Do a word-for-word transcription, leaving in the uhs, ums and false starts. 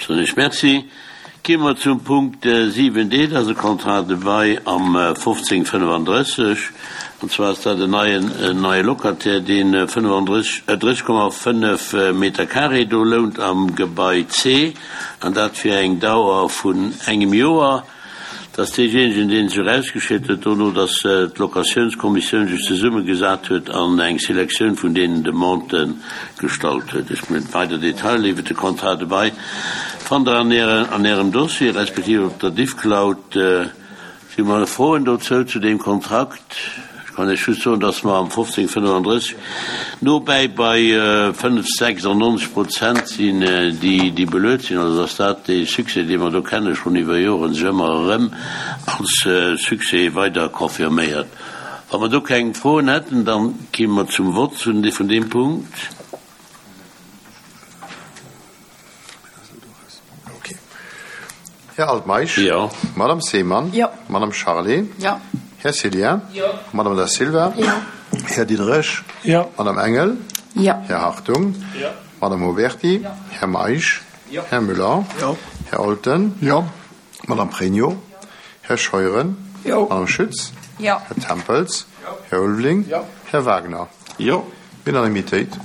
Soen ech Merci. Gi mer zum Punkt siwen D, dat ass e Contrat de bail am fofzéng fënnefandrësseg. An zwar ass dat en neien, en neie Locataire, deen fënnefandrësseg, drësseg Komma fënnef Meter carré do lount am Gebai C, an dat fir eng Dauer vun engem Joer. Dat ass deejéinegen, dee sech erausgeschéckt huet dono, datt d'Locatiounskommissioun sech zesummegesat huet an eng Selektioun vun deenen Demandë gestallt huet. Ech mengen, weider Detailer iwwert de Contrat de bail fannt Der an Äre, an Ärem Dossier respektiv op der Diffcloud. Si mer Froen dozou, zu deem Kontrakt? Ech kann Iech just soen, dass mer am fofzéng fënnefandrësseg nobäi bei fënnf, sechsundneunzeg Prozent sinn, déi, déi beluet sinn. Also dass dat dee Succès, dee mer do kenne schonn iwwer Joren, sech ëmmer erëm als Succès weider confirméiert. Wa mer do keng Froen hätten, dann kéime mer zum Vott vun deem Punkt. Här Altmeisch? Jo. Madame Seemann? Jo. Madame Charlé? Jo. Här Cillien? Jo. Madame Da Silva? Jo. Här Diderich? Jo. Madame Engel? Jo. Här Hartung? Jo. Madame Oberti? Jo. Här Meisch? Jo. Här Müller? Jo. Här Olten? Jo. Madame Pregno? Här Scheuren? Jo. Madame Schütz? Jo. Här Tempels? Jo. Här Ulveling? Jo. Här Wagner? Jo. Unanimitéit.